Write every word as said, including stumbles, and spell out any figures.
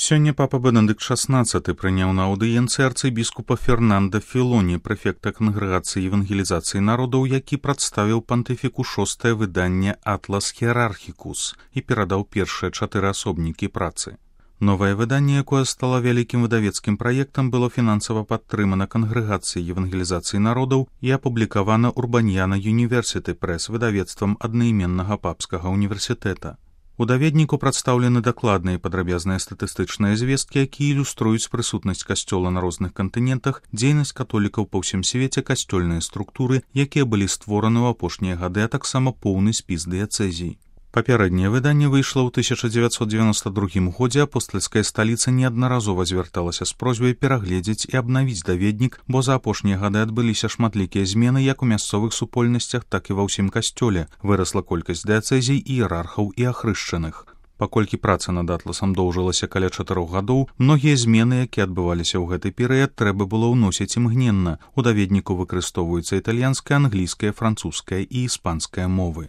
Сёння папа Бенедыкт шаснаццаты прыняў на аўдыенцыі арцыбіскупа Фернанда Філоні, прэфекта кангрэгацыі евангелізацыі народаў, які прадставіў пантыфіку шостае выданне «Атлас Херархікус» і перадаў першыя чатыры асобнікі працы. Новае выданне, якое стало вялікім выдавецкім праектам, было фінансава падтрымана кангрэгацыяй евангелізацыі народаў і апублікавана Урбаньяна Юніверсіты Прэс выдавецтвам аднайменнага папскага універсітэта. У даведніку прадстаўлены дакладныя і падрабязныя статыстычныя звесткі, якія ілюструюць прысутнасць касцёла на розных кантынентах, дзейнасць католікаў па ўсім свеце, касцёльныя структуры, якія былі створаны ў апошнія гады, а таксама поўны спіс дыяцэзій. Папярэдняе выданне выйшла ў тысяча дзевяцьсот дзевяноста другім годзе, апостальская сталіца неаднаразова звярталася з просьбай перагледзець і абнавіць даведнік, бо за апошнія гады адбыліся шматлікія змены як у мясцовых супольнасцях, так і ва ўсім касцёле. Вырасла колькасць дыяцэзій, іерархаў і ахрышчаных. Паколькі праца над атласам доўжылася каля чатырох гадоў, многія змены, якія адбываліся ў гэты перыяд, трэба было ўносіць імгненна. У даведніку выкарыстоўваюцца італьянская, англійская, французская і іспанская мовы.